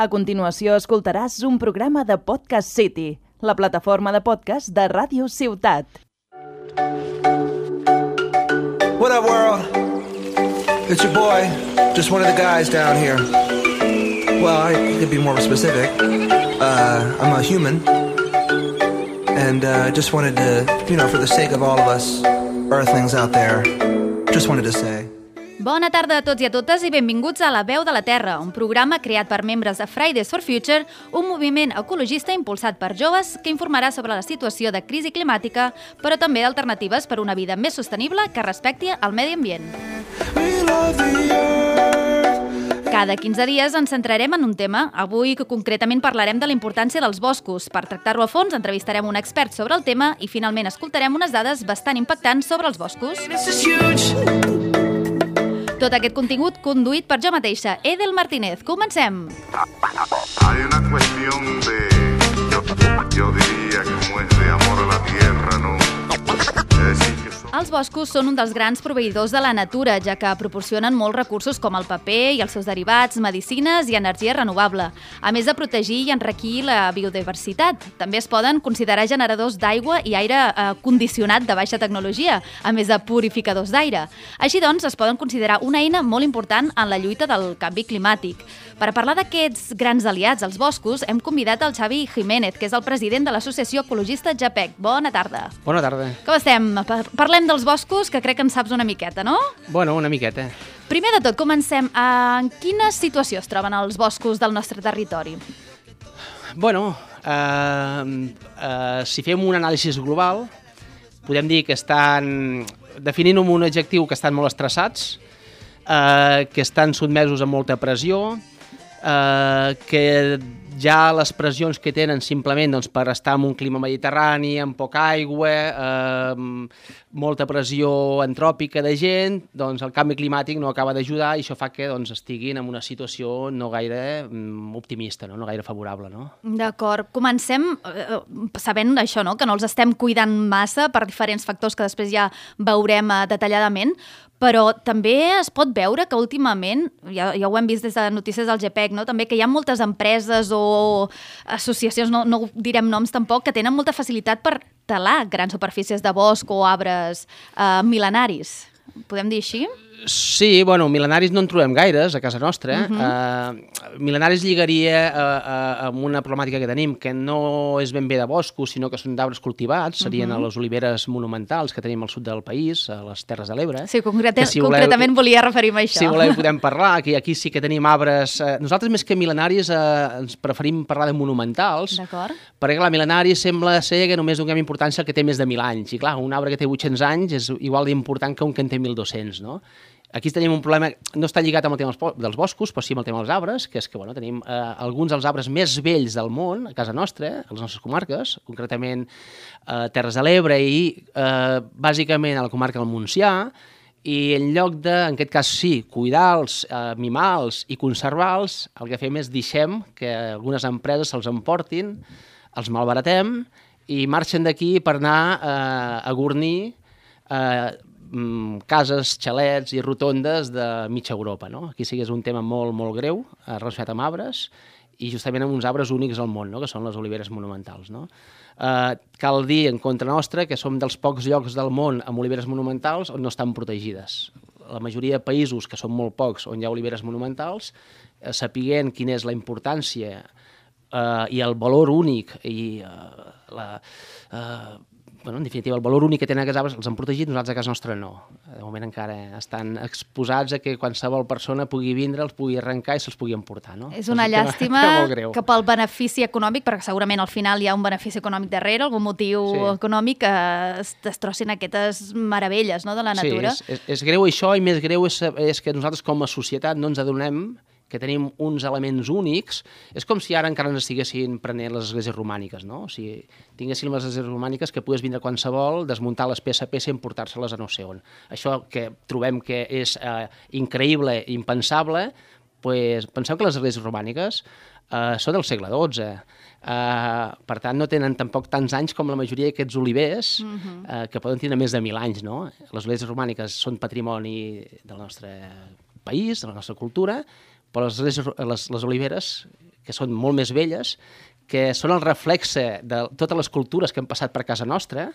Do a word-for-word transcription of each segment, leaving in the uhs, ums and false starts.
A continuació escoltaràs un programa de Podcast City, la plataforma de podcast de Ràdio Ciutat. What up, world? It's your boy, just one of the guys down here. Well, I could be more specific. Uh, I'm a human. And I uh, just wanted to, you know, for the sake of all of us earthlings out there, just wanted to say... Bona tarda a tots i a totes i benvinguts a La Veu de la Terra, un programa creat per membres de Fridays for Future, un moviment ecologista impulsat per joves que informarà sobre la situació de crisi climàtica, però també alternatives per una vida més sostenible que respecti el medi ambient. Cada quinze dies ens centrarem en un tema. Avui concretament parlarem de la importància dels boscos. Per tractar-ho a fons entrevistarem un expert sobre el tema i finalment escoltarem unes dades bastant impactants sobre els boscos. Tot aquest contingut conduït per jo mateixa, Edel Martínez. Comencem! Hay una cuestión de... Yo, yo diría como es de amor a la tierra, ¿no? Es decir, que son... Els boscos són un dels grans proveïdors de la natura, ja que proporcionen molts recursos com el paper i els seus derivats, medicines i energia renovable, a més de protegir i enriquir la biodiversitat. També es poden considerar generadors d'aigua i aire eh, condicionat de baixa tecnologia, a més de purificadors d'aire. Així doncs, es poden considerar una eina molt important en la lluita del canvi climàtic. Per parlar d'aquests grans aliats als boscos, hem convidat el Xavi Jiménez, que és el president de l'associació ecologista JAPEC. Bona tarda. Bona tarda. Com estem? Parlem dels boscos, que crec que en saps una miqueta, no? Bueno, una miqueta. Primer de tot, comencem. En quina situació es troben els boscos del nostre territori? Bueno, eh, eh, si fem un anàlisi global, podem dir que estan definint amb un adjectiu que estan molt estressats, eh, que estan sotmesos a molta pressió, eh, que ja les pressions que tenen simplement doncs, per estar en un clima mediterrani, amb poca aigua, eh, molta pressió antròpica de gent, doncs el canvi climàtic no acaba d'ajudar i això fa que doncs, estiguin en una situació no gaire mm, optimista, no? no gaire favorable. No? D'acord. Comencem eh, sabent això, no? que no els estem cuidant massa per diferents factors que després ja veurem eh, detalladament, però també es pot veure que últimament, ja, ja ho hem vist des de notícies del JAPEC, no? també que hi ha moltes empreses o associacions, no, no direm noms tampoc, que tenen molta facilitat per talar grans superfícies de bosc o arbres eh, mil·lenaris. Podem dir així? Sí, bueno, mil·lenaris no en trobem gaires a casa nostra. Uh-huh. uh, mil·lenaris lligaria uh, uh, amb una problemàtica que tenim, que no és ben bé de boscos, sinó que són d'arbres cultivats, serien uh-huh. a les oliveres monumentals que tenim al sud del país, a les Terres de l'Ebre. Sí, concreta, si voleu, concretament volia referir-me a això. Si voleu podem parlar, que aquí sí que tenim arbres... Uh, nosaltres més que mil·lenaris uh, ens preferim parlar de monumentals, d'acord, perquè clar, mil·lenari sembla ser que només donem importància al que té més de mil anys, i clar, un arbre que té vuit-cents anys és igual d'important que un que en té mil dos-cents, no? Aquí tenim un problema, no està lligat amb el tema dels boscos, però sí amb el tema dels arbres, que és que bueno, tenim eh, alguns dels arbres més vells del món, a casa nostra, a les nostres comarques, concretament eh, Terres de l'Ebre i eh, bàsicament a la comarca del Montsià, i en lloc de, en aquest cas sí, cuidar-los, eh, mimar-los i conservar-los, el que fem és deixem que algunes empreses se'ls emportin, els malbaratem i marxen d'aquí per anar eh, a gornir eh, cases, xalets i rotondes de mitja Europa. No? Aquí sí que és un tema molt, molt greu, relacionat amb arbres, i justament amb uns arbres únics al món, no? que són les oliveres monumentals. No? Eh, cal dir en contra nostra que som dels pocs llocs del món amb oliveres monumentals on no estan protegides. La majoria de països, que són molt pocs, on hi ha oliveres monumentals, eh, sapiguent quina és la importància eh, i el valor únic i eh, la... Eh, Bueno, en definitiva, el valor únic que tenen aquests arbres els han protegit, nosaltres a casa nostra no. De moment encara estan exposats a que qualsevol persona pugui vindre, els pugui arrencar i se'ls pugui emportar. No? És una llàstima que pel benefici econòmic, perquè segurament al final hi ha un benefici econòmic darrere, algun motiu sí. econòmic, que es destrossin aquestes meravelles, no, de la natura. Sí, és, és, és greu això, i més greu és, és que nosaltres com a societat no ens adonem que tenim uns elements únics. És com si ara encara ens estiguessin prenent les esglésies romàniques, no? O sigui, tinguéssim les esglésies romàniques que pogués vindre qualsevol, desmuntar les peça a peça i emportar-se-les a no sé on. Això que trobem que és eh, increïble, impensable, pues, penseu que les esglésies romàniques eh, són del segle dotze. Eh, per tant, no tenen tampoc tants anys com la majoria d'aquests olivers, uh-huh. eh, que poden tenir més de mil anys, no? Les esglésies romàniques són patrimoni del nostre país, de la nostra cultura, però les, les, les oliveres que són molt més velles, que són el reflexe de totes les cultures que han passat per casa nostra,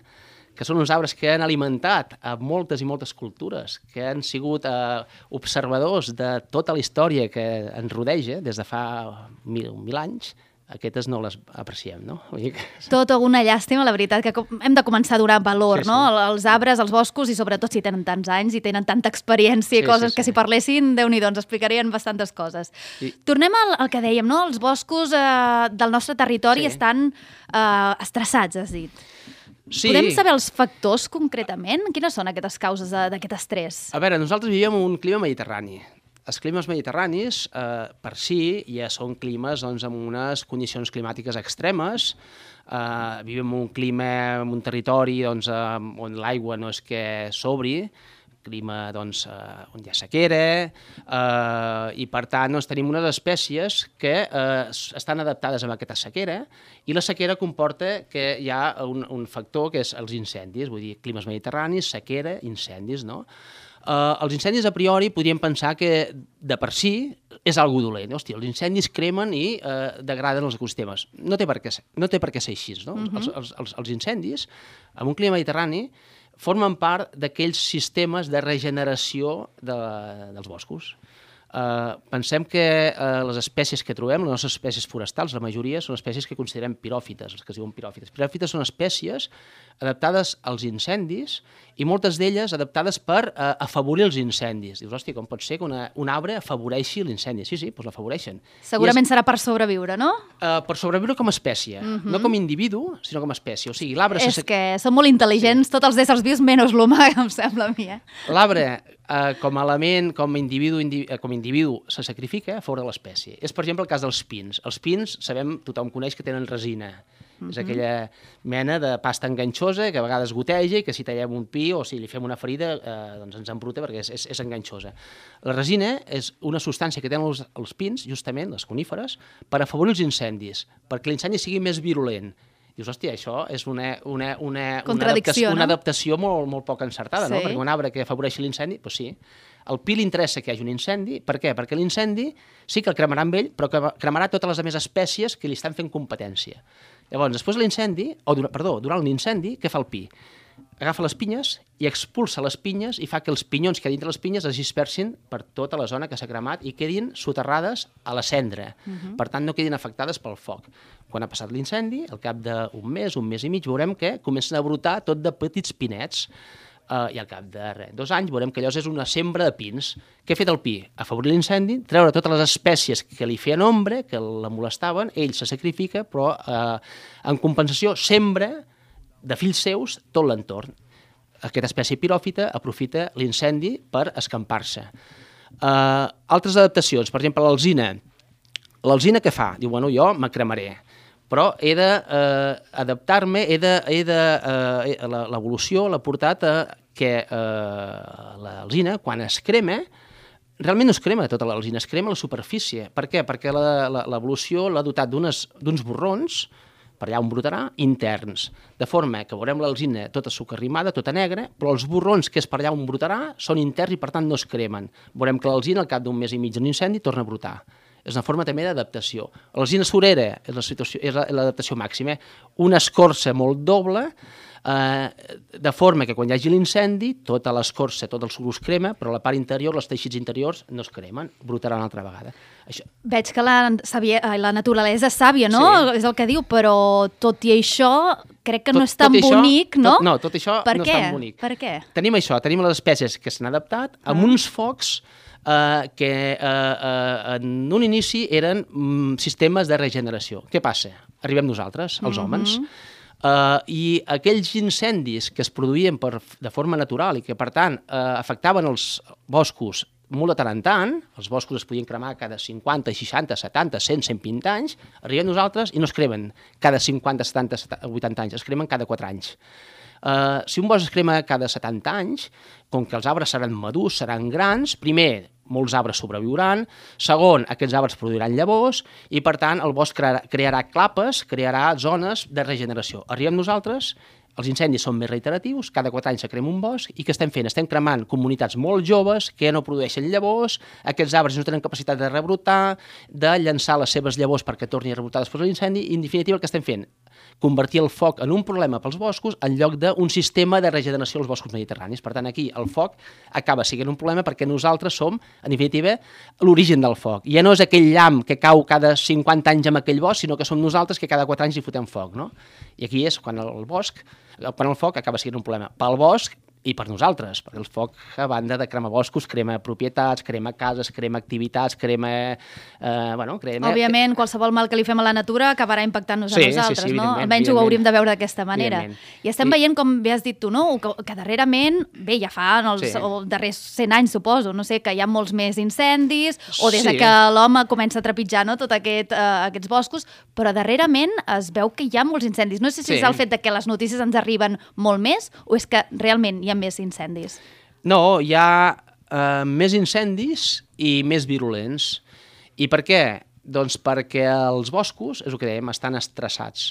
que són uns arbres que han alimentat a moltes i moltes cultures, que han sigut eh, observadors de tota la història que ens rodeja des de fa mil, mil anys, aquestes no les apreciem, no? Vull dir que... Tot una llàstima, la veritat, que hem de començar a donar valor, sí, sí. no? Els arbres, els boscos, i sobretot si tenen tants anys i tenen tanta experiència i Sí, coses sí, sí. que si parlessin, Déu-n'hi-do, ens explicarien bastantes coses. I- Tornem al, al que dèiem, no? Els boscos eh, del nostre territori Sí. estan eh, estressats, has dit. Sí. Podem saber els factors concretament? Quines són aquestes causes de- d'aquest estrès? A veure, nosaltres vivíem en un clima mediterrani. Els climes mediterranis, eh, per si, ja són climes doncs, amb unes condicions climàtiques extremes. Eh, vivim en un clima, en un territori doncs, eh, on l'aigua no és que sobri, clima doncs, eh, on hi ha sequera, eh, i per tant doncs, tenim unes espècies que eh, estan adaptades a aquesta sequera, i la sequera comporta que hi ha un, un factor que és els incendis, vull dir, climes mediterranis, sequera, incendis, no? Eh, els incendis a priori podríem pensar que de per si és algo dolent. Hòstia, els incendis cremen i eh, degraden els ecosistemes. No té per què ser, no té per què ser així, no? Uh-huh. els, els, els, els incendis, en un clima mediterrani, formen part d'aquells sistemes de regeneració de, dels boscos. Uh, pensem que uh, les espècies que trobem, les nostres espècies forestals, la majoria són espècies que considerem piròfites, els que es diuen piròfites. Piròfites són espècies adaptades als incendis i moltes d'elles adaptades per uh, afavorir els incendis. Dius, hòstia, com pot ser que una, un arbre afavoreixi l'incendi? Sí, sí, doncs l'afavoreixen. Segurament és, serà per sobreviure, no? uh, per sobreviure com a espècie, uh-huh. no com a individu, sinó com a espècie. O sigui, l'arbre... És que són molt intel·ligents, sí. Tots els éssers vius, menys l'humà, em sembla a mi, eh? L'arbre, eh, com a element, com a individu, indi, eh, com a individu se sacrifica a favor de l'espècie. És, per exemple, el cas dels pins. Els pins, sabem, tothom coneix que tenen resina. Uh-huh. És aquella mena de pasta enganxosa que a vegades goteja i que si tallem un pi o si li fem una ferida eh, doncs ens embruta perquè és, és, és enganxosa. La resina és una substància que tenen els, els pins, justament, les coníferes, per afavorir els incendis, perquè l'incendi sigui més virulent. Dius, hòstia, això és una, una, una, una, adaptació, no? una adaptació molt, molt poc encertada, Sí. no? Perquè un arbre que afavoreixi l'incendi, doncs sí. Al pi li interessa que hi hagi un incendi. Per què? Perquè l'incendi sí que el cremarà amb ell, però que cremarà totes les altres espècies que li estan fent competència. Llavors, després de l'incendi, o perdó, durant l'incendi, què fa el pi? Agafa les pinyes i expulsa les pinyes i fa que els pinyons que hi ha dintre les pinyes es dispersin per tota la zona que s'ha cremat i quedin soterrades a la cendra. Uh-huh. Per tant, no quedin afectades pel foc. Quan ha passat l'incendi, al cap d'un mes, un mes i mig, veurem que comencen a brotar tot de petits pinets. Uh, I al cap de res, dos anys veurem que allò és una sembra de pins. Què ha fet el pi? Afavorir l'incendi, treure totes les espècies que li feien ombra, que la molestaven, ell se sacrifica, però uh, en compensació sembra de fills seus tot l'entorn. Aquesta espècie piròfita aprofita l'incendi per escampar-se. Uh, altres adaptacions, per exemple, l'alzina. L'alzina què fa? Diu, bueno, jo me cremaré, però he d'adaptar-me, eh, he de, he de, eh, l'evolució l'ha portat a que eh, l'alzina, quan es crema, realment no es crema tota l'alzina, es crema la superfície. Per què? Perquè l'evolució l'ha dotat d'uns borrons, per allà on brotarà, interns, de forma que veurem l'alzina tota sucarrimada, tota negra, però els borrons que és per allà on brotarà són interns i per tant no es cremen. Veurem que l'alzina al cap d'un mes i mig d'un incendi torna a brotar. És una forma també d'adaptació. L'alzina surera és l'adaptació màxima. Una escorça molt doble, eh, de forma que quan hi hagi l'incendi, tota l'escorça, tot el suc es crema, però la part interior, els teixits interiors, no es cremen, brotaran una altra vegada. Això. Veig que la, sabia, la naturalesa és sàvia, no? Sí. És el que diu, però tot i això crec que tot, no és tan això, bonic, no? Tot, no, tot això per no què? és tan bonic. Per què? Tenim això, tenim les espècies que s'han adaptat amb ah. uns focs Uh, que uh, uh, en un inici eren um, sistemes de regeneració. Què passa? Arribem nosaltres, els homes, uh-huh. uh, i aquells incendis que es produïen per, de forma natural i que, per tant, uh, afectaven els boscos molt de tant en tant, els boscos es podien cremar cada cinquanta, seixanta, setanta, cent, cent vint anys, arribem nosaltres i no es cremen cada cinquanta, setanta, vuitanta anys, es cremen cada quatre anys. Uh, si un bosc es crema cada setanta anys, com que els arbres seran madurs, seran grans, primer, molts arbres sobreviuran, segon, aquests arbres produiran llavors i, per tant, el bosc crearà, crearà clapes, crearà zones de regeneració. Arribem nosaltres, els incendis són més reiteratius, cada quatre anys se crema un bosc, i què estem fent? Estem cremant comunitats molt joves que no produeixen llavors, aquests arbres no tenen capacitat de rebrotar, de llançar les seves llavors perquè torni a rebrotar després de l'incendi, i en definitiva el que estem fent? Convertir el foc en un problema pels boscos en lloc d'un sistema de regeneració als boscos mediterranis. Per tant, aquí el foc acaba sent un problema perquè nosaltres som, en definitiva, l'origen del foc. Ja no és aquell llamp que cau cada cinquanta anys en aquell bosc, sinó que som nosaltres que cada quatre anys hi fotem foc, no? I aquí és quan el bosc, quan el foc acaba sent un problema pel bosc i per nosaltres, perquè el foc, a banda de cremar boscos, crema propietats, crema cases, crema activitats, crema... Eh, bueno, crema... Òbviament, qualsevol mal que li fem a la natura acabarà impactant-nos sí, a nosaltres, sí, sí, no? Almenys ho hauríem de veure d'aquesta manera. I estem I... veient, com bé has dit tu, no? Que, que darrerament, bé, ja fa en els sí. o darrers cent anys, suposo, no sé, que hi ha molts més incendis, o des sí. que l'home comença a trepitjar, no?, tot aquest, uh, aquests boscos, però darrerament es veu que hi ha molts incendis. No sé si sí. és el fet de que les notícies ens arriben molt més o és que realment hi ha més incendis. No, hi ha eh, més incendis i més virulents. I per què? Doncs perquè els boscos, és el que dèiem, estan estressats.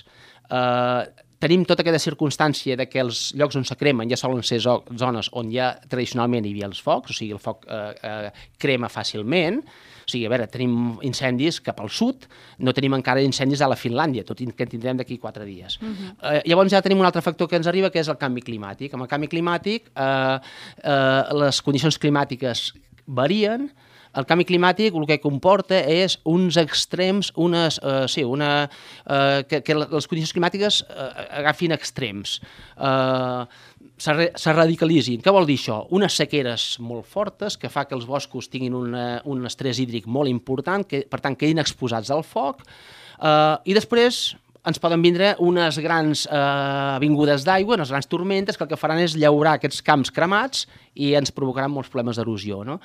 Eh, tenim tota aquesta circumstància de que els llocs on se cremen ja solen ser zones on ja tradicionalment hi havia els focs, o sigui, el foc eh, eh, crema fàcilment. O sigui, a veure, tenim incendis cap al sud, no tenim encara incendis a la Finlàndia, tot i que en tindrem d'aquí quatre dies. Uh-huh. eh, llavors ja tenim un altre factor que ens arriba, que és el canvi climàtic. Amb el canvi climàtic, eh, eh, les condicions climàtiques varien. El canvi climàtic el que comporta és uns extrems, unes, eh, sí, una, eh, que, que les condicions climàtiques eh, agafin extrems. Eh, se radicalitzin. Què vol dir això? Unes sequeres molt fortes que fa que els boscos tinguin una, un estrès hídric molt important, que per tant quedin exposats al foc, eh, i després ens poden vindre unes grans eh, vingudes d'aigua, unes grans tormentes, que el que faran és llaurar aquests camps cremats i ens provocaran molts problemes d'erosió, no?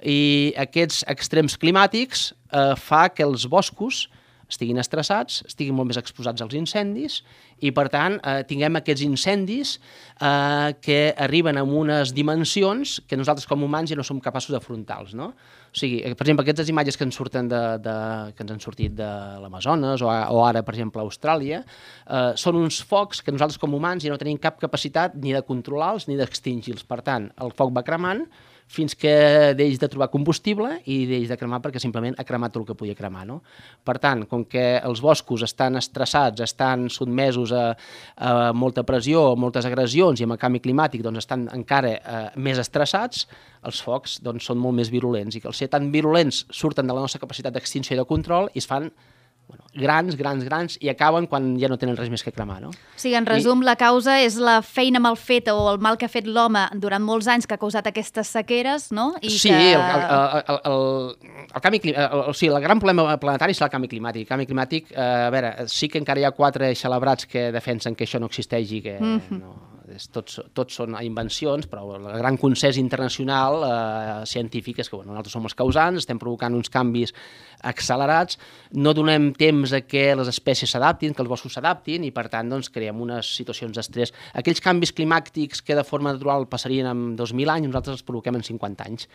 I aquests extrems climàtics eh, fa que els boscos estiguin estressats, estiguin molt més exposats als incendis i, per tant, eh, tinguem aquests incendis eh, que arriben amb unes dimensions que nosaltres com humans ja no som capaços d'afrontar-los, no? O sigui, per exemple, aquestes imatges que ens surten de, de, que ens han sortit de l'Amazones o, o ara, per exemple, a Austràlia, eh, són uns focs que nosaltres com humans ja no tenim cap capacitat ni de controlar-los ni d'extingir-los. Per tant, el foc va cremant fins que deix de trobar combustible i deix de cremar perquè simplement ha cremat tot el que podia cremar, no? Per tant, com que els boscos estan estressats, estan sotmesos a, a molta pressió, a moltes agressions i amb el canvi climàtic doncs, estan encara eh, més estressats, els focs doncs, són molt més virulents i que al ser tan virulents surten de la nostra capacitat d'extinció i de control i es fan bueno, grans, grans, grans, i acaben quan ja no tenen res més que cremar, no? O sigui, en resum, I... la causa és la feina mal feta o el mal que ha fet l'home durant molts anys que ha causat aquestes sequeres, no? I sí, que... el, el, el, el, el canvi climàtic, o sigui, el gran problema planetari és el canvi climàtic. El canvi climàtic, eh, a veure, sí que encara hi ha quatre celebrats que defensen que això no existeix i que mm-hmm. no... Tots, tots són invencions, però el gran consens internacional eh, científic és que bueno, nosaltres som els causants, estem provocant uns canvis accelerats, no donem temps a que les espècies s'adaptin, que els boscos s'adaptin i per tant doncs, creem unes situacions d'estrès. Aquells canvis climàtics que de forma natural passarien en dos mil anys, nosaltres els provoquem en cinquanta anys.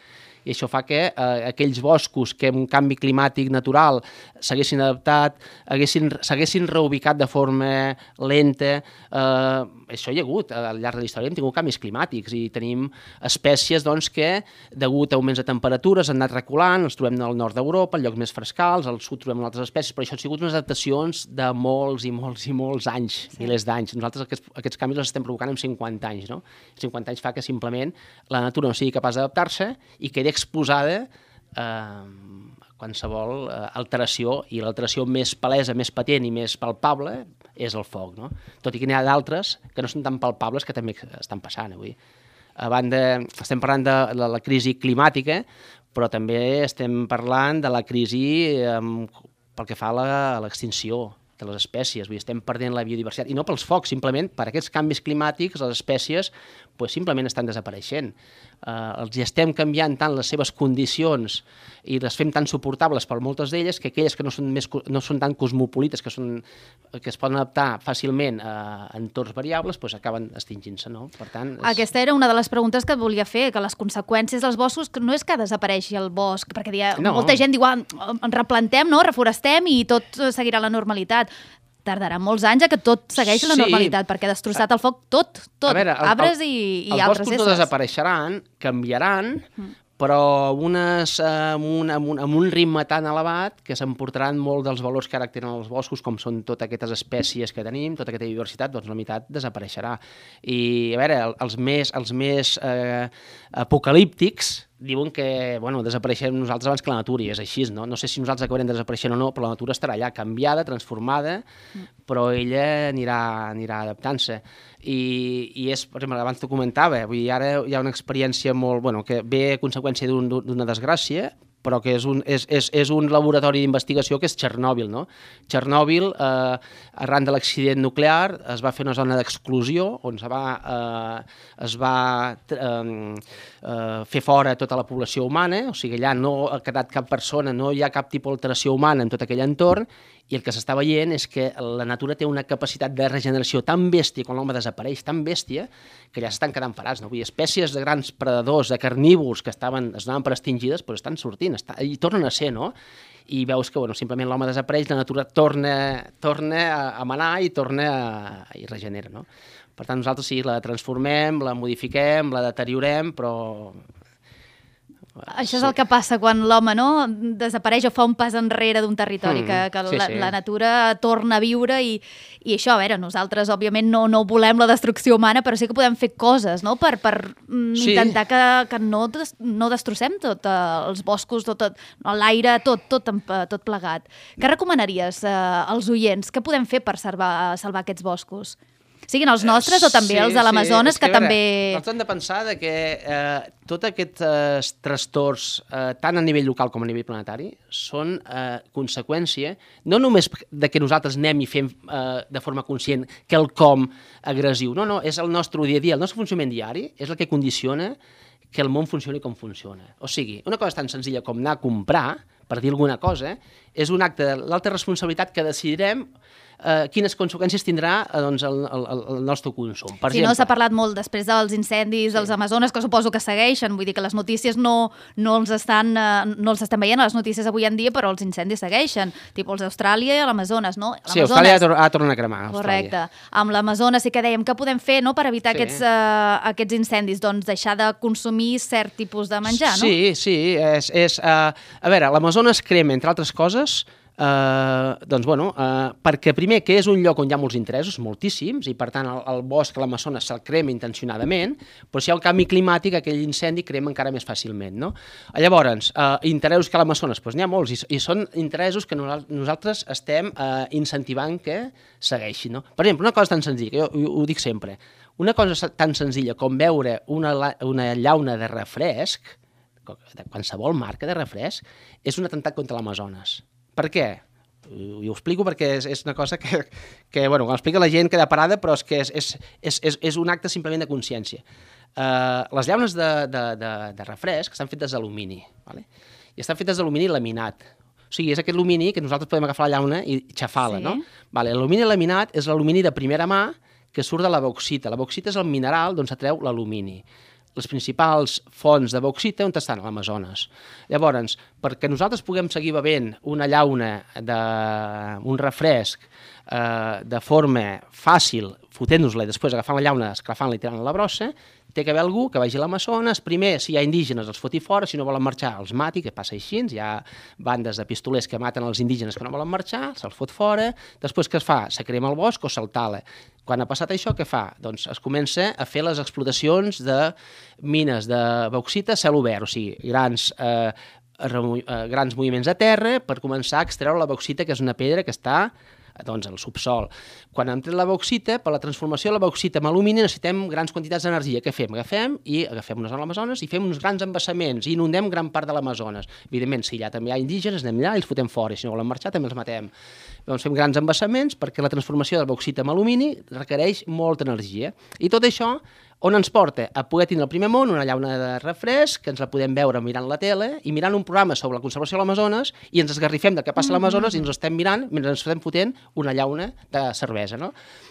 I això fa que eh, aquells boscos que amb un canvi climàtic natural s'haguessin adaptat, s'haguessin reubicat de forma lenta, eh, això hi ha hagut, al llarg de la història hem tingut canvis climàtics i tenim espècies doncs, que, degut a augments de temperatures, han anat reculant, els trobem al nord d'Europa, en llocs més frescals, al sud trobem altres espècies, però això han sigut unes adaptacions de molts i molts i molts anys, sí. milers d'anys. Nosaltres aquests, aquests canvis els estem provocant en cinquanta anys, no? cinquanta anys fa que simplement la natura no sigui capaç d'adaptar-se i quedi exposada eh, a qualsevol eh, alteració, i l'alteració més palesa, més patent i més palpable és el foc, no? Tot i que n'hi ha d'altres que no són tan palpables que també estan passant avui. A banda, estem parlant de la, la crisi climàtica, però també estem parlant de la crisi eh, pel que fa a l'extinció de les espècies, vull dir, estem perdent la biodiversitat, i no pels focs, simplement per aquests canvis climàtics les espècies pues, simplement estan desapareixent. Uh, els estem canviant tant les seves condicions i les fem tan suportables per moltes d'elles que aquelles que no són, més, no són tan cosmopolites, que, són, que es poden adaptar fàcilment a entorns variables, pues, acaben extingint-se, no? Per tant, és... Aquesta era una de les preguntes que et volia fer, que les conseqüències dels boscos no és que desapareixi el bosc, perquè dia, no. molta gent diu, ah, en replantem, no? Reforestem i tot seguirà la normalitat. tardarà molts anys a que tot segueix la Sí. normalitat, perquè ha destrossat el foc tot, tot, A veure, el- arbres el- i, i els altres boscos no éssers. desapareixeran, canviaran, però amb, unes, eh, amb, un, amb, un, amb un ritme tan elevat que s'emportaran molt dels valors que ara tenen els boscos, com són totes aquestes espècies que tenim, tota aquesta diversitat, doncs la meitat desapareixerà. I, a veure, el- els més, els més eh, apocalíptics diuen que, bueno, desapareixem nosaltres abans que la natura, i és així, no? No sé si nosaltres acabarem desapareixent o no, però la natura estarà allà, canviada, transformada, però ella anirà, anirà adaptant-se. I, i és, per exemple, abans t'ho comentava, vull dir, ara hi ha una experiència molt, bueno, que ve a conseqüència d'un- d'una desgràcia, però que és un, és, és, és un laboratori d'investigació que és Txernòbil, no? Txernòbil, eh, arran de l'accident nuclear, es va fer una zona d'exclusió on es va, eh, es va eh, eh, fer fora tota la població humana, o sigui, allà no ha quedat cap persona, no hi ha cap tipus d'alteració humana en tot aquell entorn, i el que s'està veient és que la natura té una capacitat de regeneració tan bèstia, quan l'home desapareix, tan bèstia, que ja s'estan quedant parats. No? Vull dir, espècies de grans predadors, de carnívors, que estaven, es donaven per extingides, però estan sortint, està, i tornen a ser, no? I veus que bueno, simplement l'home desapareix, la natura torna, torna a, a manar i torna a, i regenera, no? Per tant, nosaltres sí, la transformem, la modifiquem, la deteriorem, però... Això és el que passa quan l'home, no?, desapareix o fa un pas enrere d'un territori, Mm, que, que sí, la, sí. la natura torna a viure i, i això, a veure, nosaltres òbviament no, no volem la destrucció humana, però sí que podem fer coses, no?, per, per mm, Sí. intentar que, que no, des, no destrossem tot, eh, els boscos, tot, tot l'aire, tot, tot, en- tot plegat. Què recomanaries eh, als oients? Què podem fer per salvar, salvar aquests boscos? Siguin els nostres o també els de l'Amazones, és que, a veure, també... Nosaltres hem de pensar de que eh, tots aquests eh, trastorns, eh, tant a nivell local com a nivell planetari, són eh, conseqüència no només de que nosaltres anem i fem eh, de forma conscient quelcom agressiu, no, no, és el nostre dia a dia, el nostre funcionament diari és el que condiciona que el món funcioni com funciona. O sigui, una cosa tan senzilla com anar a comprar, per dir alguna cosa, és un acte de l'alta responsabilitat que decidirem eh, quines conseqüències tindrà eh, doncs, el, el, el nostre consum. Per Si exemple, no, s'ha parlat molt després dels incendis dels Amazones, que suposo que segueixen, vull dir que les notícies no, no, els estan, eh, no els estem veient a les notícies avui en dia, però els incendis segueixen, tipus els d'Austràlia i l'Amazones, no? Sí, Austràlia ha tor- ha tornat a cremar. Correcte. Austràlia. Amb l'Amazones sí que dèiem que podem fer, no?, per evitar Sí. aquests, uh, aquests incendis, doncs deixar de consumir cert tipus de menjar, no? Sí, sí. És, és, uh, a veure, l'Amazones crema, entre altres coses, Uh, doncs, bueno, uh, perquè primer que és un lloc on hi ha molts interessos, moltíssims, i per tant el, el bosc, l'Amazones, se'l crema intencionadament, però si hi ha el canvi climàtic, aquell incendi crema encara més fàcilment, no? Llavors, uh, interessos que a l'Amazones, doncs n'hi ha molts, i, i són interessos que nosaltres, nosaltres estem uh, incentivant que segueixin, no? Per exemple, una cosa tan senzilla, que jo ho, ho dic sempre, una cosa tan senzilla com veure una, la- una llauna de refresc, de qualsevol marca de refresc, és un atemptat contra l'Amazones. Per què? I ho explico perquè és, és una cosa que, que bueno, quan explica la gent queda parada, però és que és, és, és, és, és un acte simplement de consciència. Uh, les llaunes de, de, de, de refresc estan fetes d'alumini, vale? I estan fetes d'alumini laminat. O sigui, és aquest alumini que nosaltres podem agafar la llauna i xafar-la, Sí. no? Vale, l'alumini laminat és l'alumini de primera mà que surt de la bauxita. La bauxita és el mineral d'on s'atreu l'alumini. Les principals fonts de bauxita on estan? A l'Amazones. Llavors, perquè nosaltres puguem seguir bevent una llauna d'un refresc eh, de forma fàcil, fotent-nos-la i després agafant la llauna, esclafant-la i tirant-la a la brossa, té que haver algú que vagi a l'Amazones, primer, si hi ha indígenes, els foti fora, si no volen marxar, els mati, que passa així, hi ha bandes de pistolers que maten els indígenes que no volen marxar, se'ls fot fora, després què es fa? Se crema el bosc o se'l tala. Quan ha passat això, què fa? Doncs es comença a fer les explotacions de mines de bauxita a cel obert, o sigui, grans, eh, remo- eh, grans moviments a terra per començar a extreure la bauxita, que és una pedra que està doncs, al subsol. Quan hem tret la bauxita, per la transformació de la bauxita en alumini necessitem grans quantitats d'energia. Què fem? Agafem i agafem una zona de l'Amazones i fem uns grans embassaments i inundem gran part de l'Amazones. Evidentment, si allà també hi ha indígenes, anem allà i els fotem fora, i si no volen marxar també els matem. Doncs fem grans embassaments perquè la transformació de la bauxita en alumini requereix molta energia. I tot això on ens porta? A poder tenir al primer món una llauna de refresc, que ens la podem veure mirant la tele i mirant un programa sobre la conservació de l'Amazones i ens esgarrifem del que passa a l'Amazones i ens estem mirant mentre ens estem fotent una llauna de cervesa, no?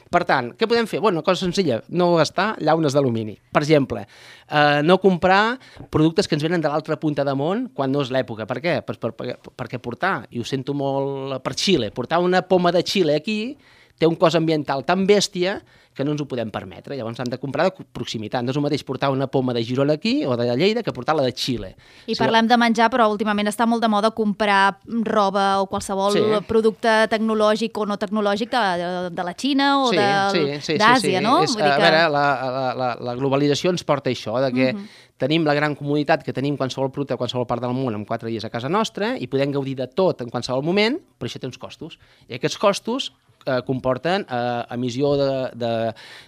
Per tant, què podem fer? Bueno, una cosa senzilla, no gastar llaunes d'alumini. Per exemple, eh, no comprar productes que ens venen de l'altra punta de món quan no és l'època. Per què? Per, per, per, perquè portar, i ho sento molt per Xile, portar una poma de Xile aquí té un cost ambiental tan bèstia que no ens ho podem permetre. Llavors hem de comprar de proximitat. No és el mateix portar una poma de Girona aquí o de Lleida que portar-la de Xile. I parlem de menjar, però últimament està molt de moda comprar roba o qualsevol sí. producte tecnològic o no tecnològic de, de la Xina o sí, d'Àsia, sí, sí, sí, sí. no? És, Vull dir que... A veure, la, la, la, la globalització ens porta això, de que uh-huh. tenim la gran comoditat que tenim qualsevol producte a qualsevol part del món en quatre dies a casa nostra i podem gaudir de tot en qualsevol moment, però això té uns costos. I aquests costos eh, comporten eh, emissió de, de,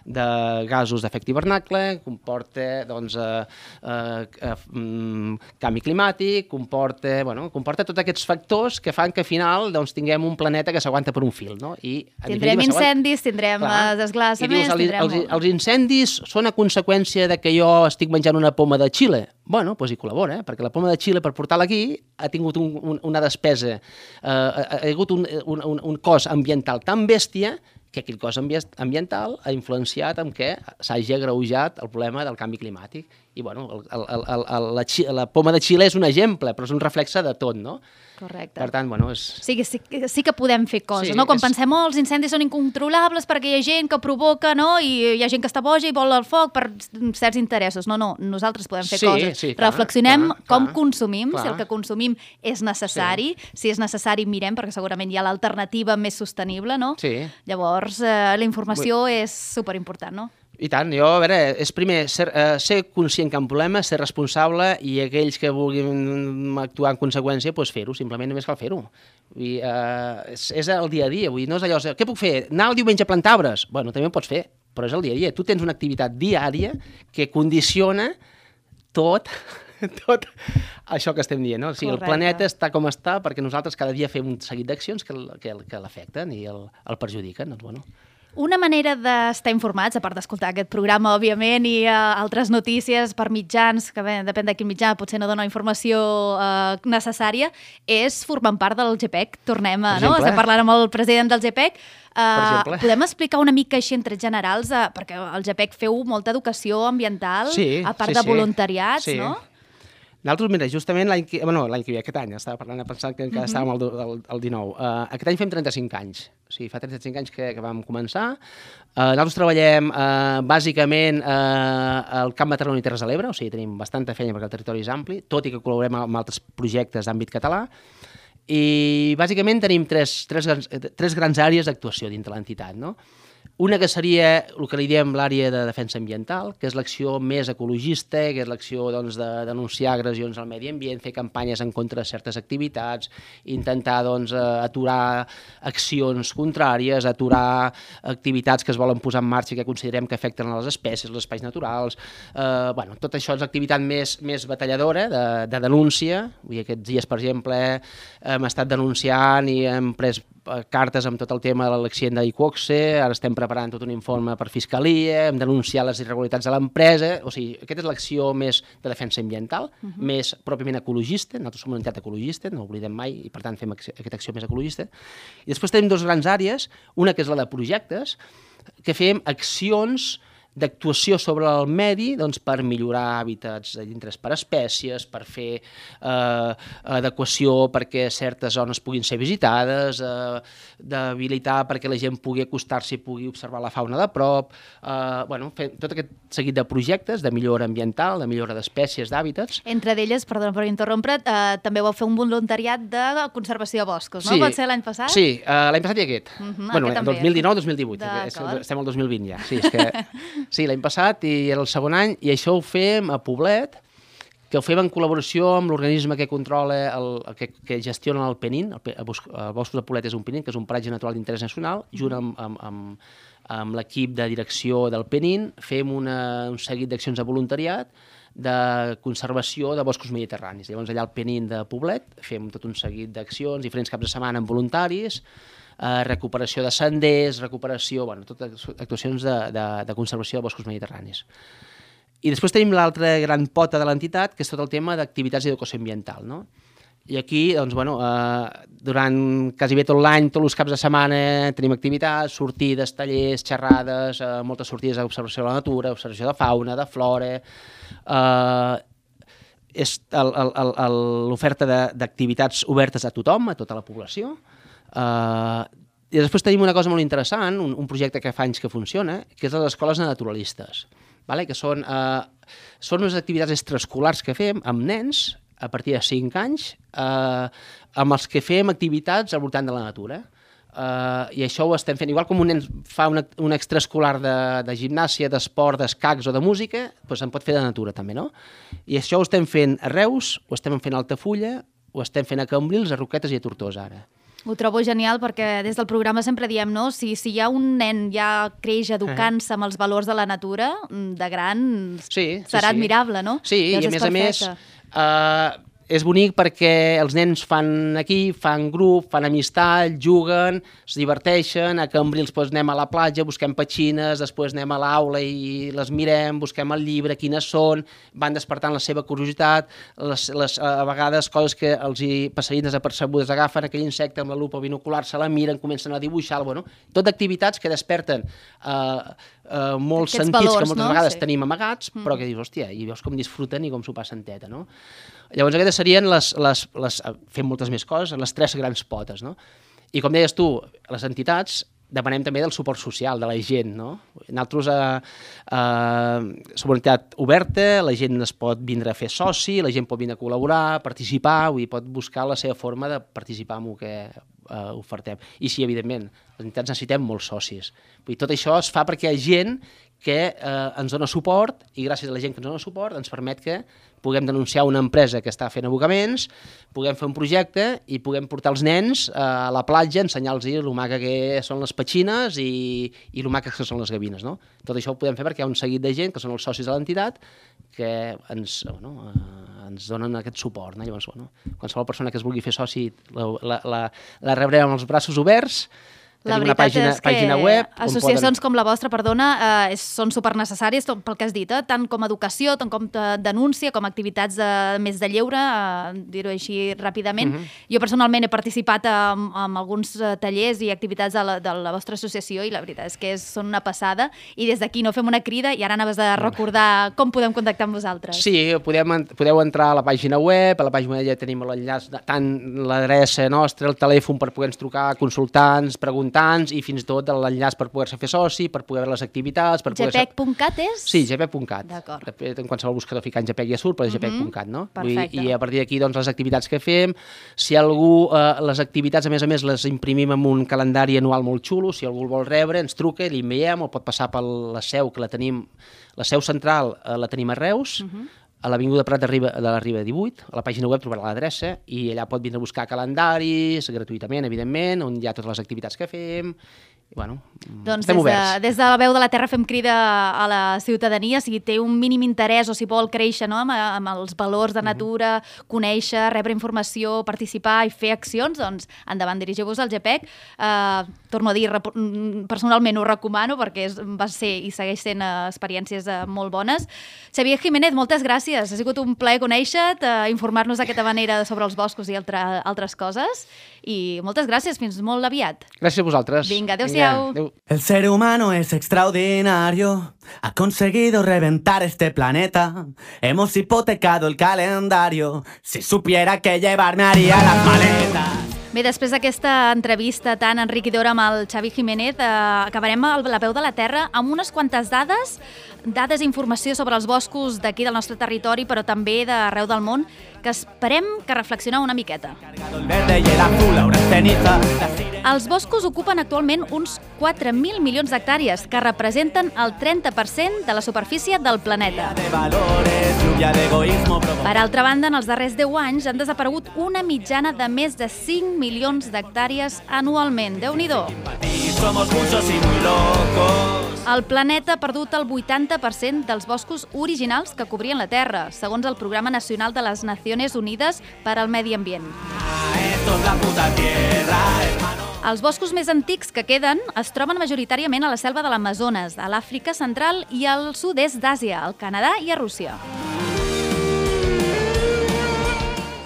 de gasos d'efecte hivernacle, comporta doncs, eh, eh, eh, canvi climàtic, comporta, bueno, comporta tots aquests factors que fan que al final doncs, tinguem un planeta que s'aguanta per un fil. No? I, tindrem incendis, tindrem desglassaments... Els, els, els incendis són a conseqüència de que jo estic menjant una poma de Xile? Bueno, doncs hi col·labora, eh? Perquè la poma de Xile, per portar-la aquí, ha tingut un, un, una despesa, eh, ha, ha hagut un, un, un, un cost ambiental tan bèstia que aquell cost ambiental ha influenciat en què s'hagi agreujat el problema del canvi climàtic. I, bueno, el, el, el, el, la, la poma de Xile és un exemple, però és un reflexe de tot, no? Correcte. Per tant, bueno, és... Sí, sí, sí que podem fer coses, sí, no? Quan és... pensem, oh, els incendis són incontrolables perquè hi ha gent que provoca, no? I hi ha gent que està boja i vol el foc per certs interessos. No, no, nosaltres podem fer sí, coses. Sí, clar, reflexionem clar, com clar, consumim, clar. si el que consumim és necessari, sí. si és necessari mirem, perquè segurament hi ha l'alternativa més sostenible, no? Sí. Llavors, eh, la informació Bé. és superimportant, no? I tant, jo, a veure, és primer ser, eh, ser conscient que hi ha un problema, ser responsable i aquells que vulguin actuar en conseqüència, doncs fer-ho, simplement només cal fer-ho. I, eh, és, és el dia a dia, vull dir, no és allò, què puc fer? Anar el diumenge a plantar arbres? Bueno, també ho pots fer, però és el dia a dia. Tu tens una activitat diària que condiciona tot, tot això que estem dient, no? O sigui, el planeta està com està perquè nosaltres cada dia fem un seguit d'accions que, que, que l'afecten i el, el perjudiquen, doncs, bueno... Una manera d'estar informats, a part d'escoltar aquest programa, òbviament, i uh, altres notícies per mitjans, que bé, depèn de quin mitjà, potser no dona informació uh, necessària, és formant part del G P E C. Tornem a... No? Estem parlant amb el president del G P E C. Uh, podem explicar una mica així en trets generals, uh, perquè al G P E C feu molta educació ambiental, sí, a part sí, de voluntariats, sí. no? Nosaltres, mira, justament l'any que... Bueno, l'any que ve, aquest any, estava parlant, pensant que encara uh-huh. estàvem al, al, al dinou. Uh, aquest any fem trenta-cinc anys. O sigui, fa trenta-cinc anys que, que vam començar. Uh, nosaltres treballem uh, bàsicament uh, al Camp de Tarragona i Terres de l'Ebre, o sigui, tenim bastanta feina perquè el territori és ampli, tot i que col·laborem amb altres projectes d'àmbit català. I bàsicament tenim tres, tres, grans, tres grans àrees d'actuació dintre l'entitat, no? Una que seria el que li diem l'àrea de defensa ambiental, que és l'acció més ecologista, que és l'acció doncs, de denunciar agressions al medi ambient, fer campanyes en contra de certes activitats, intentar doncs, aturar accions contràries, aturar activitats que es volen posar en marxa i que considerem que afecten a les espècies, els espais naturals. Eh, bueno, tot això és l'activitat més, més batalladora de, de denúncia. Vull dir, aquests dies, per exemple, hem estat denunciant i hem pres cartes amb tot el tema de l'accident d'Iqoxe, ara estem preparant tot un informe per Fiscalia, hem denunciat les irregularitats de l'empresa, o sigui, aquesta és l'acció més de defensa ambiental, uh-huh. més pròpiament ecologista, nosaltres som una entitat ecologista, no ho oblidem mai, i per tant fem aquesta acció més ecologista. I després tenim dues grans àrees, una que és la de projectes, que fem accions d'actuació sobre el medi doncs, per millorar hàbitats d'interès per espècies, per fer eh, adequació perquè certes zones puguin ser visitades, eh, d'habilitar perquè la gent pugui acostar-s'hi i pugui observar la fauna de prop, eh, bueno, fer tot aquest seguit de projectes de millora ambiental, de millora d'espècies, d'hàbitats. Entre d'elles, perdona per interrompre't, eh, també vau fer un voluntariat de conservació de boscos, no? Sí, Pot ser l'any passat? Sí, eh, l'any passat i aquest. Uh-huh, bueno, aquest dos mil dinou dos mil divuit, estem al dos mil vint ja. Sí, és que... Sí, l'any passat i era el segon any, i això ho fem a Poblet, que ho fem en col·laboració amb l'organisme que controla, el, que, que gestiona el Penin, el, el Boscos de Poblet és un Penin, que és un paratge natural d'interès nacional, junt amb, amb, amb, amb l'equip de direcció del Penin, fem una, un seguit d'accions de voluntariat de conservació de boscos mediterranis. Llavors allà al Penin de Poblet fem tot un seguit d'accions, diferents caps de setmana amb voluntaris, Eh, recuperació de senders, recuperació, bueno, totes actuacions de, de, de conservació de boscos mediterranis. I després tenim l'altra gran pota de l'entitat, que és tot el tema d'activitats d'educació ambiental, no? I aquí, doncs, bueno, eh, durant quasi bé tot l'any, tots els caps de setmana, tenim activitats, sortides, tallers, xerrades, eh, moltes sortides d'observació de la natura, observació de fauna, de flora... Eh, és l'oferta d'activitats obertes a tothom, a tota la població. Uh, I després tenim una cosa molt interessant, un, un projecte que fa anys que funciona, que és les escoles de naturalistes, vale? Que són, eh, són unes activitats extraescolars que fem amb nens a partir de cinc anys, eh, amb els que fem activitats al voltant de la natura. Eh, I això ho estem fent, igual com un nen fa una, un extraescolar de, de gimnàsia, d'esport, d'escacs o de música, doncs en pot fer de natura també, no? I això ho estem fent a Reus, ho estem fent a Altafulla, ho estem fent a Cambrils, a Roquetes i a Tortosa ara. Ho trobo genial perquè des del programa sempre diem, no? Si, si hi ha un nen ja creix educant-se amb els valors de la natura, de gran sí, sí, serà sí. admirable, no? Sí, Llavors i a més perfecte. a més eh, és bonic perquè els nens fan aquí, fan grup, fan amistat, juguen, es diverteixen, a Cambrils doncs, anem a la platja, busquem petxines, després anem a l'aula i les mirem, busquem el llibre, quines són, van despertant la seva curiositat, les, les, a vegades coses que els hi passarien desapercebudes, agafen aquell insecte amb la lupa binocular, se la miren, comencen a dibuixar, bueno, tot activitats que desperten eh, eh, molts Aquests sentits valors, que moltes no? vegades Sí. tenim amagats, però que dius, hòstia, i veus com disfruten i com s'ho passen teta, no? Llavors aquestes serien les, les, les, fem moltes més coses, les tres grans potes, no? I com deies tu, les entitats depenem també del suport social de la gent, no? Nosaltres eh, eh, som una entitat oberta, la gent es pot vindre a fer soci, la gent pot vindre a col·laborar, participar, vull dir, pot buscar la seva forma de participar en el que eh, ofertem. I sí, evidentment, les entitats necessitem molts socis. Vull dir, tot això es fa perquè hi ha gent que eh, ens dona suport i gràcies a la gent que ens dona suport ens permet que puguem denunciar una empresa que està fent abocaments, puguem fer un projecte i puguem portar els nens a la platja, ensenyar-los el maca que són les petxines i, i el maca que són les gavines. No? Tot això ho podem fer perquè hi ha un seguit de gent que són els socis de l'entitat que ens, bueno, eh, ens donen aquest suport. No? Llavors, bueno, qualsevol persona que es vulgui fer soci la, la, la, la rebrem amb els braços oberts. La Tenim una veritat pàgina, és que pàgina web, associacions poden... com la vostra, perdona, eh, són supernecessàries pel que has dit, eh? Tant com educació, tant com denúncia, com activitats de, més de lleure, eh, dir-ho així ràpidament. Uh-huh. Jo personalment he participat en, en alguns tallers i activitats de la, de la vostra associació i la veritat és que és, són una passada i des d'aquí no fem una crida i ara anaves a recordar com podem contactar amb vosaltres. Sí, podem, podeu entrar a la pàgina web, a la pàgina ja tenim l'enllaç, tant l'adreça nostra, el telèfon per poder-nos trucar, consultar-nos, preguntar i fins i tot l'enllaç per poder-se fer soci, per poder veure les activitats... Per G P E C punt cat és? Sí, G P E C punt cat. D'acord. En qualsevol buscador ficant G P E C ja surt, però és G P E C punt cat, no? Perfecte. I a partir d'aquí, doncs, les activitats que fem, si algú, eh, les activitats, a més a més, les imprimim amb un calendari anual molt xulo, si algú el vol rebre, ens truca, li enviem, o pot passar per la seu, que la tenim, la seu central eh, la tenim a Reus, uh-huh. a l'Avinguda Prat de, Riba, de la Riba divuit, a la pàgina web trobarà l'adreça i allà pot vindre a buscar calendaris gratuïtament, evidentment, on hi ha totes les activitats que fem. I, bueno, doncs estem des de, oberts. des de la Veu de la Terra fem crida a la ciutadania, si té un mínim interès o si vol créixer, no? amb, amb els valors de natura, mm-hmm. conèixer, rebre informació, participar i fer accions, doncs endavant, dirigiu-vos al G P E C. Uh, torno a dir, personalment ho recomano perquè és, va ser i segueix sent uh, experiències uh, molt bones. Xavier Jiménez, moltes gràcies. Ha sigut un plaer conèixer-te, uh, informar-nos d'aquesta manera sobre els boscos i altra, altres coses. I moltes gràcies, fins molt aviat. Gràcies a vosaltres. Vinga, adéu-siau. Adéu. El ser humano es extraordinario, ha conseguido reventar este planeta. Hemos hipotecado el calendario, si supiera que llevarme haría las maletas. Bé, després d'aquesta entrevista tan enriquidora amb el Xavi Jiménez, eh, acabarem a la Veu de la Terra amb unes quantes dades, dades i informació sobre els boscos d'aquí del nostre territori, però també d'arreu del món, que esperem que reflexioneu una miqueta. Els boscos ocupen actualment uns quatre mil milions d'hectàrees, que representen el trenta per cent de la superfície del planeta. Per altra banda, en els darrers deu anys han desaparegut una mitjana de més de cinc milions d'hectàrees anualment. Déu-n'hi-do! El planeta ha perdut el vuitanta per cent dels boscos originals que cobrien la Terra, segons el Programa Nacional de les Nacions Unides per al Medi Ambient. Els boscos més antics que queden es troben majoritàriament a la selva de l'Amazones, a l'Àfrica Central i al sud-est d'Àsia, al Canadà i a Rússia.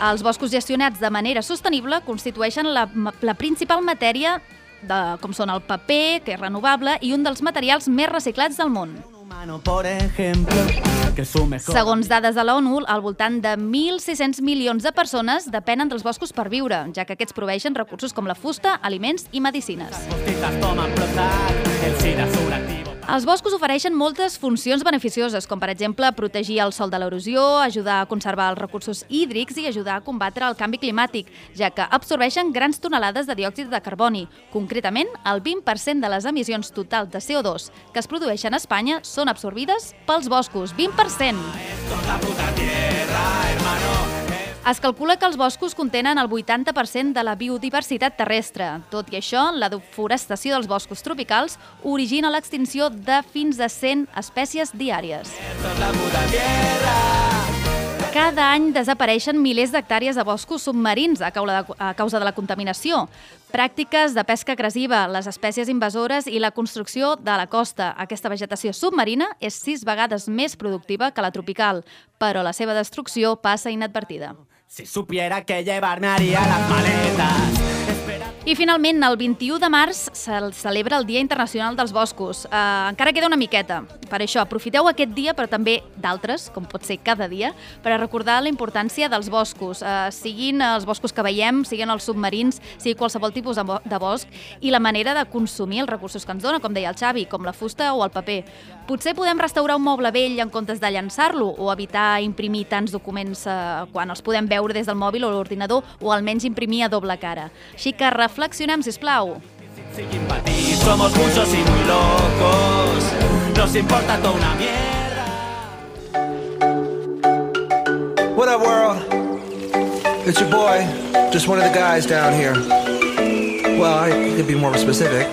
Els boscos gestionats de manera sostenible constitueixen la, la principal matèria de, com són el paper, que és renovable, i un dels materials més reciclats del món. Por ejemplo, que su mejor... Segons dades de l'ONU, al voltant de mil sis-cents milions de persones depenen dels boscos per viure, ja que aquests proveeixen recursos com la fusta, aliments i medicines. Els boscos ofereixen moltes funcions beneficioses, com per exemple protegir el sòl de l'erosió, ajudar a conservar els recursos hídrics i ajudar a combatre el canvi climàtic, ja que absorbeixen grans tonelades de diòxid de carboni. Concretament, el vint per cent de les emissions totals de C O dos que es produeixen a Espanya són absorbides pels boscos. vint per cent! Es calcula que els boscos contenen el vuitanta per cent de la biodiversitat terrestre. Tot i això, la deforestació dels boscos tropicals origina l'extinció de fins a cent espècies diàries. Cada any desapareixen milers d'hectàrees de boscos submarins a causa de la contaminació. Pràctiques de pesca agressiva, les espècies invasores i la construcció de la costa. Aquesta vegetació submarina és sis vegades més productiva que la tropical, però la seva destrucció passa inadvertida. Si supiera que llevarme haría las maletas. I finalment, el vint-i-u de març se celebra el Dia Internacional dels Boscos. Uh, encara queda una miqueta. Per això, aprofiteu aquest dia, però també d'altres, com pot ser cada dia, per a recordar la importància dels boscos. Uh, siguin els boscos que veiem, siguin els submarins, sigui qualsevol tipus de, de bosc, i la manera de consumir els recursos que ens dona, com deia el Xavi, com la fusta o el paper. Potser podem restaurar un moble vell en comptes de llançar-lo, o evitar imprimir tants documents uh, quan els podem veure des del mòbil o l'ordinador, o almenys imprimir a doble cara. Així que reflexionem, sisplau. Somos muchos y muy locos. Nos importa toda una mierda. What up, world? It's your boy, just one of the guys down here. Well, I could be more specific.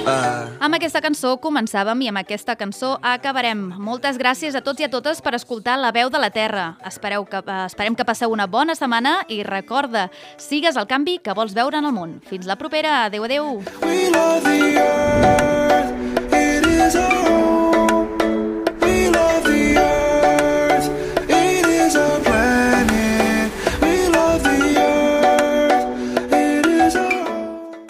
Uh... Amb aquesta cançó començàvem i amb aquesta cançó acabarem. Moltes gràcies a tots i a totes per escoltar La Veu de la Terra. Espereu que, uh, esperem que passeu una bona setmana i recorda, sigues el canvi que vols veure en el món. Fins la propera. Adéu, adéu. We love the earth, it is our home. We love the earth, it is our planet. We love the earth, it is our home.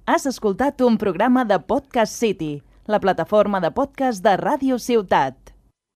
Has escoltat un programa de Podcast City, la plataforma de podcast de Ràdio Ciutat.